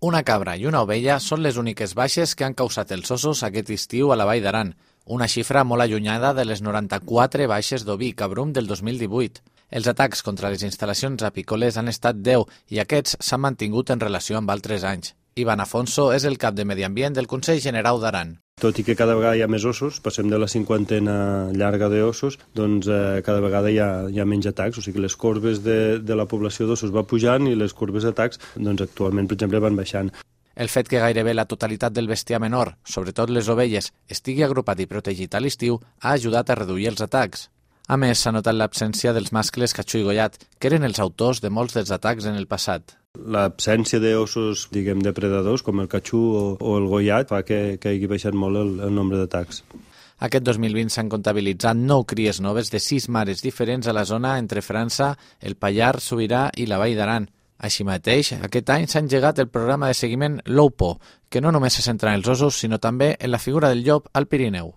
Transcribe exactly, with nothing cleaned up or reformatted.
Una cabra i una ovella són les úniques baixes que han causat els ossos aquest estiu a la Vall d'Aran, una xifra molt allunyada de les noranta-quatre baixes d'oví i cabrum del dos mil divuit. Els atacs contra les instal·lacions apícoles han estat deu i aquests s'han mantingut en relació amb altres anys. Ivan Afonso és el cap de Medi Ambient del Consell Generau d'Aran. Tot i que cada vegada hi ha més ossos, passem de la cinquantena llarga d'ossos, doncs eh, cada vegada hi ha, hi ha menys atacs, o sigui que les corbes de, de la població d'ossos va pujant i les corbes d'atacs doncs, actualment, per exemple, van baixant. El fet que gairebé la totalitat del bestiar menor, sobretot les ovelles, estigui agrupat i protegit a l'estiu ha ajudat a reduir els atacs. A més, s'ha notat l'absència dels mascles catxú i gollat, que eren els autors de molts dels atacs en el passat. L'absència d'ossos, diguem, depredadors, com el catxú o, o el gollat, fa que, que hagi baixat molt el, el nombre d'atacs. Aquest dos mil vint s'han comptabilitzat nou cries noves de sis mares diferents a la zona entre França, el Pallars Sobirà i la Vall d'Aran. Així mateix, aquest any s'ha engegat el programa de seguiment Loupo, que no només se centra en els ossos, sinó també en la figura del llop al Pirineu.